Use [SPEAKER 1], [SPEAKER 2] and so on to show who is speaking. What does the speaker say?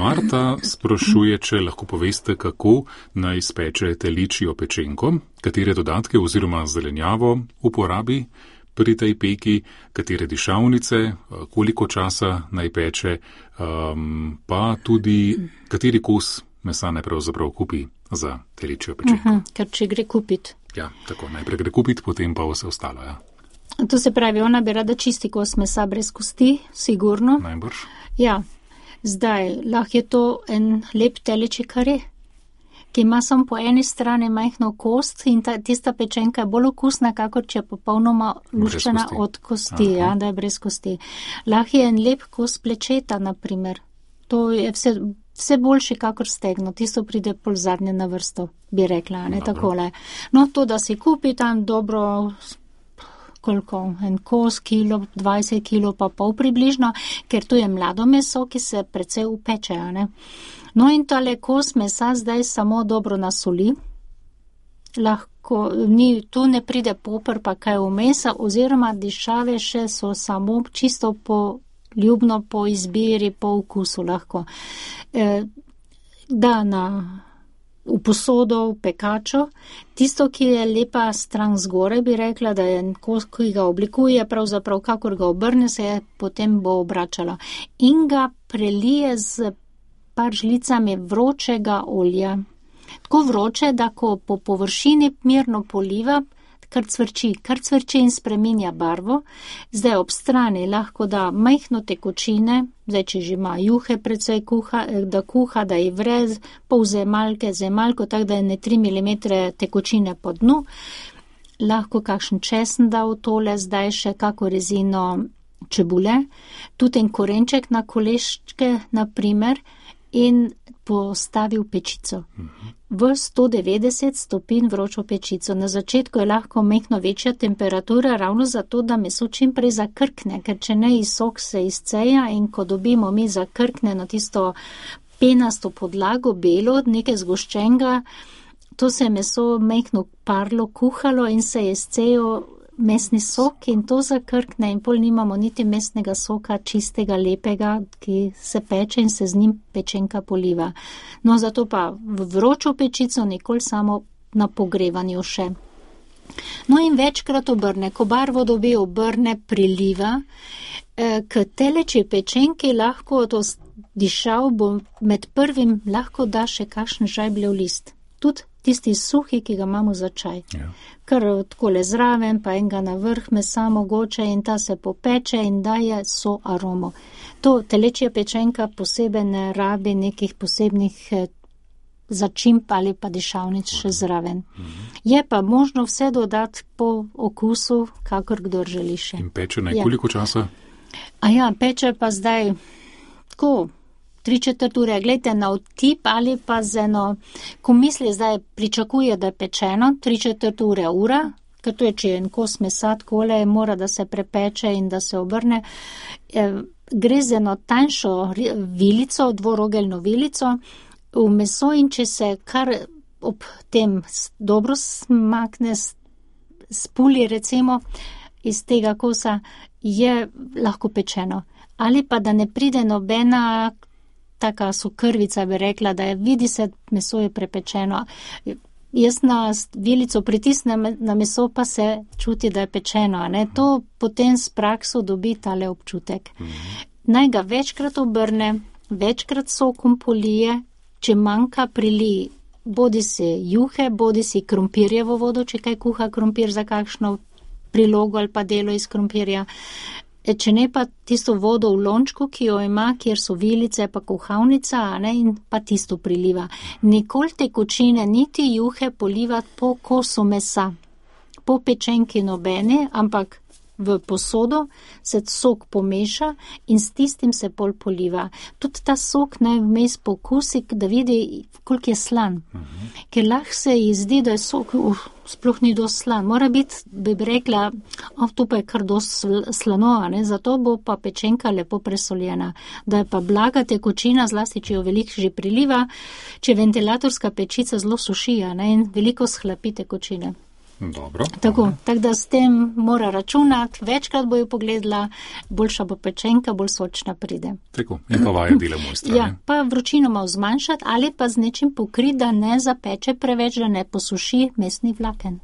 [SPEAKER 1] Marta sprašuje, če lahko poveste, kako naj speče teličjo pečenko, katere dodatke oziroma zelenjavo uporabi pri tej peki, katere dišavnice, koliko časa naj peče, pa tudi kateri kos mesa naj pravzaprav kupi za teličjo pečenko.
[SPEAKER 2] Ker če gre kupiti.
[SPEAKER 1] Ja, tako, najprej gre kupiti, potem pa vse ostalo, ja.
[SPEAKER 2] To se pravi, ona bi rada čisti kos mesa brez kosti, sigurno.
[SPEAKER 1] Najbrž.
[SPEAKER 2] Ja, zdaj, lahko je to en lep telečji kare, ki ima samo po eni strani majhno kost in tista pečenka je bolj okusna, kakor če je popolnoma luščena od kosti, ja, da je brez kosti. Lahko je en lep kos plečeta, naprimer. To je vse boljši, kakor stegno. Tisto pride pol zadnje na vrsto, bi rekla, ne takole. No, to, da si kupi tam dobro, koliko, en kos, kilo, 20 kilo pa pol približno, ker tu je mlado meso, ki se precej upeče, ne. No in tale kos mesa zdaj samo dobro nasoli, lahko, tu ne pride poper pa kaj vmesa, oziroma dišave še so samo čisto ljubno po izbiri, po okusu lahko. Da v posodo, v pekačo, tisto, ki je lepa stran zgore, bi rekla, da je kos, ki ga oblikuje, pravzaprav kakor ga obrne, se je potem bo obračalo. In ga prelije z par žlicami vročega olja. Tako vroče, da ko po površini mirno poliva, kar cvrči in spreminja barvo. Zdaj ob strani lahko da majhno tekočine, zdaj če že ima juhe precej da kuha, da ji vre pol zemalko, tako da je ne 3 mm tekočine po dnu. Lahko kakšen česen da v tole, zdaj še kako rezino čebule, tudi en korenček na koleščke, naprimer, in postavil pečico. V 190 stopinj vročo pečico. Na začetku je lahko mehno večja temperatura, ravno zato, da meso čim prej zakrkne, ker če ne sok se izceja in ko dobimo mi zakrkne na tisto penasto podlago, belo, nekaj zgoščenega, to se je meso mehno parlo, kuhalo in se je izcejal mesni sok in to zakrkne in pol nimamo niti mesnega soka čistega, lepega, ki se peče in se z njim pečenka poliva. No, zato pa v vročo pečico nikoli samo na pogrevanju še. No in večkrat obrne, ko barvo dobi, obrne, priliva, k telečji pečenki lahko to dišav bo med prvim lahko da še kakšen žajbljev list. Tudi tisti suhi, ki ga imamo za čaj. Ja. Kar takole zraven, pa enega na vrh mesa mogoče in ta se popeče in daje so aromo. To telečja pečenka posebej ne rabi nekih posebnih začimb ali pa dišavnic še zraven. Je pa možno vse dodati po okusu, kakor kdor želi še.
[SPEAKER 1] In peče koliko časa?
[SPEAKER 2] Peče pa zdaj tako 3/4 ure, gledajte na vtip ali pa z eno, ko misli zdaj pričakuje, da je pečeno, 3/4 ura, ker to je, če je en kos mesa takole, mora, da se prepeče in da se obrne. Gre z eno tanjšo vilico, dvorogeljno vilico v meso in če se kar ob tem dobro smakne, spuli recimo iz tega kosa, je lahko pečeno. Ali pa da ne pride nobena taka sokrvica, bi rekla, da je, vidi se, meso je prepečeno. Jaz na vilico pritisnem na meso, pa se čuti, da je pečeno. Ne? To potem s prakso dobi tale občutek. Naj ga večkrat obrne, večkrat sokom polije, če manjka prili bodi si juhe, bodi si krompirjevo vodo, če kaj kuha krompir za kakšno prilogo ali pa delo iz krompirja. Če ne pa tisto vodo v lončku, ki jo ima, kjer so vilice pa kuhavnica, ne, in pa tisto priliva. Nikoli tekočine, niti juhe polivati po kosu mesa, po pečenki nobene, ampak v posodo se sok pomeša in s tistim se pol poliva. Tudi ta sok naj vmes pokusi, da vidi, koliko je slan. Ker lahko se ji zdi, da je sok sploh ni dosti slan. Mora biti, bi rekla, to pa je kar dosti slano, ne? Zato bo pa pečenka lepo presoljena. Da je pa blaga tekočina, zlasti, če jo veliko že priliva, če ventilatorska pečica zelo suši, ne? In veliko shlapi tekočine.
[SPEAKER 1] Dobro.
[SPEAKER 2] Tako da s tem mora računati, večkrat bo jo pogledala, boljša bo pečenka, bolj sočna pride.
[SPEAKER 1] Tako, in pa vaja dela mojstra.
[SPEAKER 2] Ja, pa vročino malo zmanjšati ali pa z nečim pokriti, da ne zapeče preveč, da ne posuši mesnih vlaken.